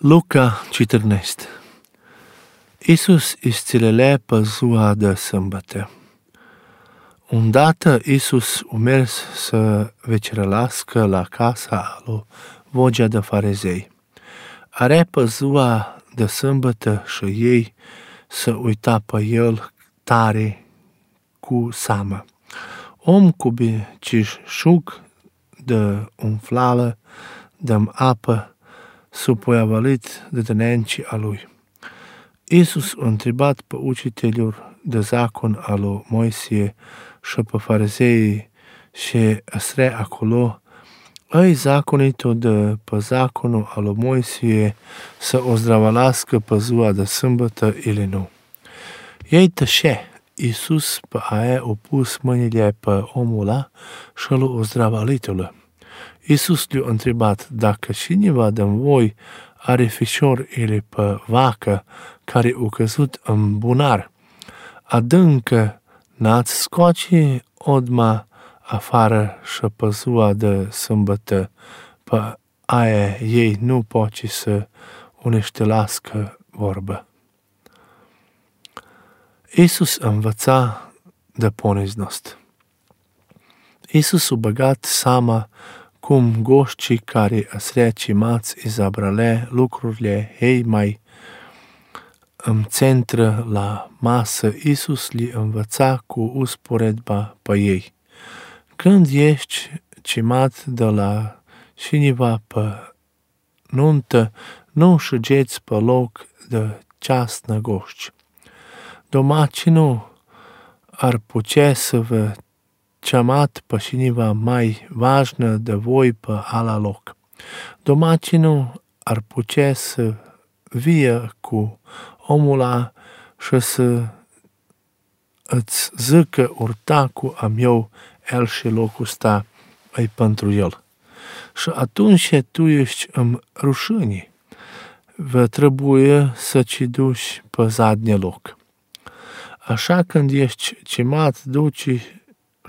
Luca 14. Iisus isțilele pe ziua de sâmbătă. Îndată Iisus a mers să vecerălască la casa lui Vogea de farizei. Are pe ziua de sâmbătă și ei să uita pe el tare cu seamă. Om cu bicișug de umflală, de apă, supoiavalit de dănencii a lui. Iisus a întrebat pe ucitelor de zacon al lui Moisie și pe farizei și astre acolo, ai zaconitul de pe zaconul al lui Moisie să o zdravălască pe ziua de sâmbătă ili nu. Ei tășe. Iisus pe aia a pus mâinile pe omul ăla și l-a zdravălitul. Iisus le-a întrebat dacă cineva din voi are fișor ili pe vacă care a căzut în bunar, adâncă n-ați scoace odma afară și pe ziua de sâmbătă pe aia ei nu poate să uneștelască vorbă. Iisus învăța de poniznost. Iisus a băgat seama cum goștii care asrea cimați izabrale lucrurile ei mai în centră la masă, Iisus li învăța cu usporedba pe ei. Când ești cimat de la cineva pe nuntă, nu șugeți pe loc de ceasnă goști. Domacinul ar putea să vă ceamat pe cineva mai važnă de voi pe ala loc. Domacinul ar putea să vie cu omul ăla și să îți zică urtacul am eu el și locul ăsta e pentru el. Și atunci tu ești în rușine. Vă trebuie să ci duci pe zadnie loc. Așa când ești cimat, duci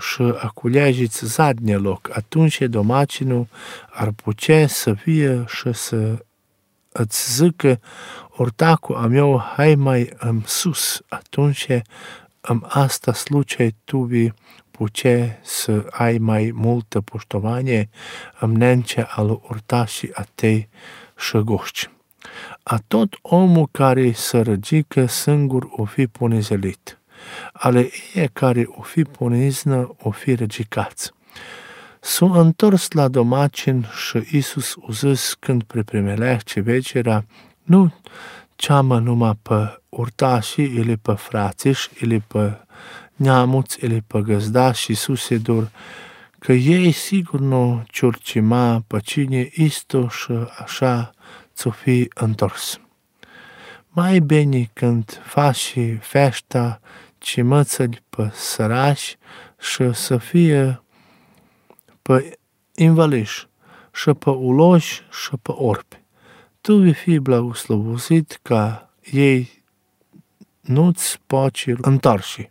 și aculeagiți zadnie loc, atunci domacinul ar putea să fie și să îți zică ortacul am eu hai mai în sus, atunci în asta slucei tu vei putea să ai mai multă poștovanie în nencea al ortașii a tei și goști. A tot omul care se răgică singur o fi ponizelit. Ale ei care o fi poniznă o fi răgicați. S-a întors la domacin și Iisus a zis când preprimelește vecera, nu ceamă numai pe urtașii, ili pe frațiși, ili pe neamuți, ili pe găzdași suseduri, că ei sigur nu ciurcima pe cine isto și așa ți-o fi întors. Mai bine când faci feșta ci mățăli pe sărași și să fie pe invaliși și pe uloși și pe orbi. Tu vei fi blagoslovozit ca ei nu-ți poți întorși.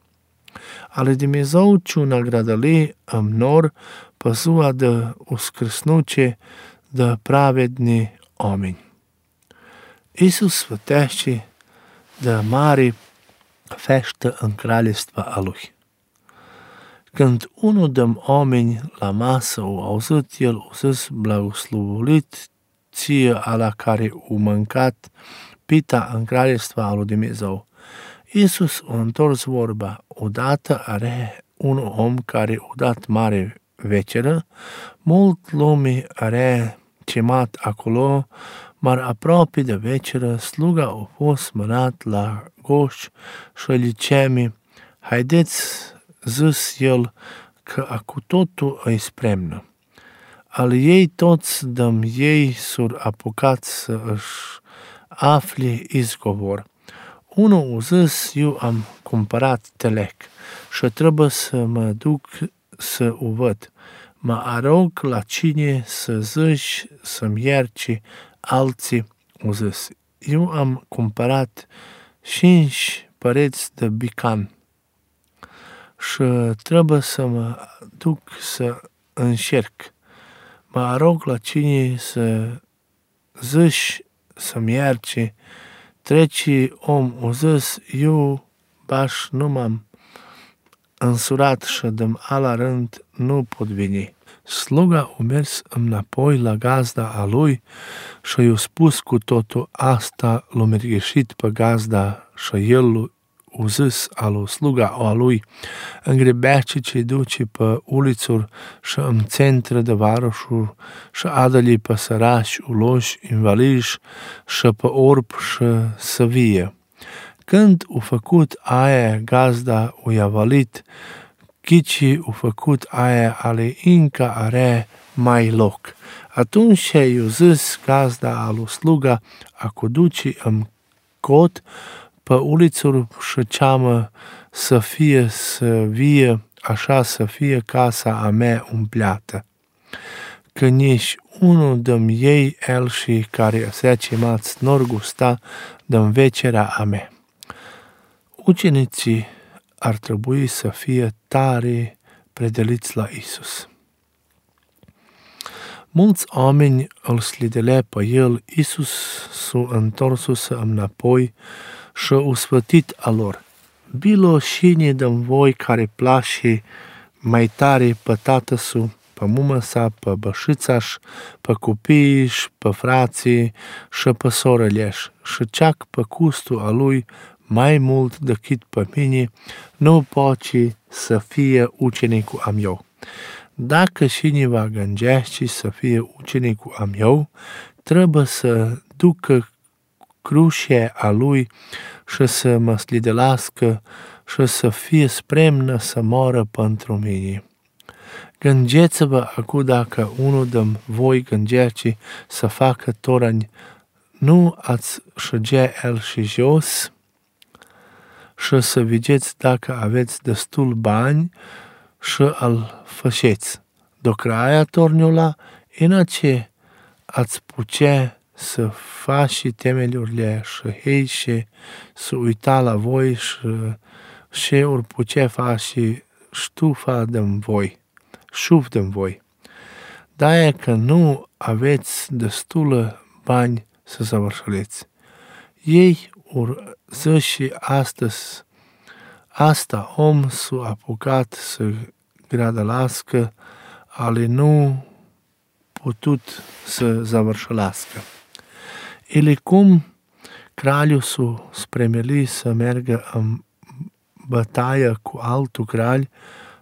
Ale Dumnezeu ce nagradali în nor pe ziua de uscrăsnuce de pravedni oameni. Iisus sfătește de mare feștă în kraljestva a lui. Când unul din oameni la masă o auzit, el o zis blagoslovolit ție ala care o mâncat pita în kraljestva a lui Dumnezeu. Iisus a întors vorba, odată are un om care o dat mare veceră, mult lume are cimat acolo, mar aproape de veceră, sluga a fost mânat la goș și îi cemi, haideți, zis el, că acu totul îi spremnă. Al ei toți dăm ei s-or apucat să își afli izgovor. Unul a zis, eu am cumpărat telec și trebuie să mă duc să o văd. Mă arog la cine să zici să-mi ierci, alții au zis, eu am cumpărat 5 păreți de bican și trebuie să mă duc să încerc. Mă arog la cine să zici să-mi ierci. Treci om o zis, eu baš nu m-am însurat și de ala rând nu pot veni. Sluga a mers înapoi la gazda a lui și i-a spus cu totul asta, l-a mergheșit pe gazda și el a zis alu sluga a lui, îngrebește ce duce pe ulițuri și în centre de varoșuri și adă-li pe sărași, uloși, invaliși și pe orb și să vie. Când a făcut aia gazda o i-a chici a făcut aia ale încă are mai loc. Atunci i-a zis gazda alu sluga a duci în cot pe ulițuri și ceamă să fie să vie, așa să fie casa a mea umpleată. Că nici unul de-mi ei el și care se chemați nor gusta de-mi vecerea a mea. Ucenicii ar trebui să fie tare predeliți la Isus. Mulți oameni îl slidelea pe el, Isus s-a întors înapoi și a sfătit a lor. Bilo șine de-mi voi care place mai tare pe tată-su, pe mumă-sa, pe bășița-și, pe copiii-și, pe frații și pe sorele-și și ceac pe custul a lui mai mult decât pe mine, nu poate să fie ucenicul am eu. Dacă cineva gândește să fie ucenicul am eu, trebuie să ducă crucea a lui și să mă slidelească și să fie spremnă să moară pentru mine. Gândeți-vă acum dacă unul de voi gândește să facă torani, nu ați șăgea el și jos și să vedeți dacă aveți destul bani și îl făceți. Dacă aia torniula, inace ați putea să faci temelurile și hei și să uita la voi și ori putea face ștufa de-mi voi, șuf de-mi voi. De-aia că nu aveți destulă bani să săvârșileți. Ei ori zice astăzi, asta om s-a apucat să gradălască, ale nu putut să zavârșească. Ele cum craliul s-a spremeli să meargă în bătaie cu altul crali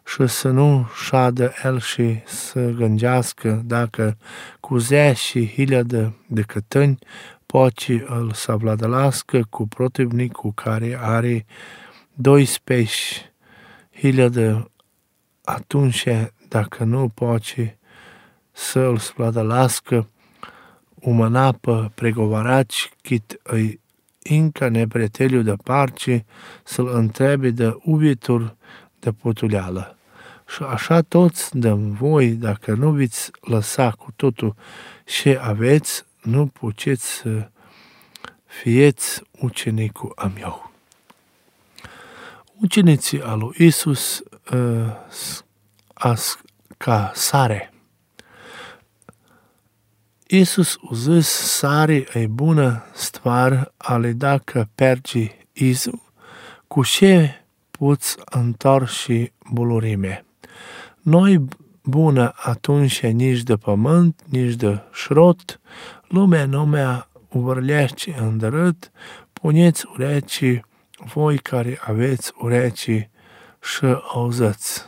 și să nu șadă el și să gândească dacă cu 10.000 de cătăni poate îl savladălască cu protivnicul care are 12.000, atunci dacă nu poate să îl savladălască umăna pe pregovaraci cât îi încă nepreteliu de parce să-l întrebe de ubitur de putuleală. Și așa toți de voi, dacă nu veți lăsa cu totul ce aveți, nu puteți să fieți ucenicul am eu. Ucenicii al lui Isus ca sare. Isus a zis, sare e bună stvar, ale dacă pergi izu, cu ce poți întorși bulurime. Noi bună atunci nici de pământ, nici de șrot, lumea numea uvărlește îndărât, puneți urechi voi care aveți urechi și auziți.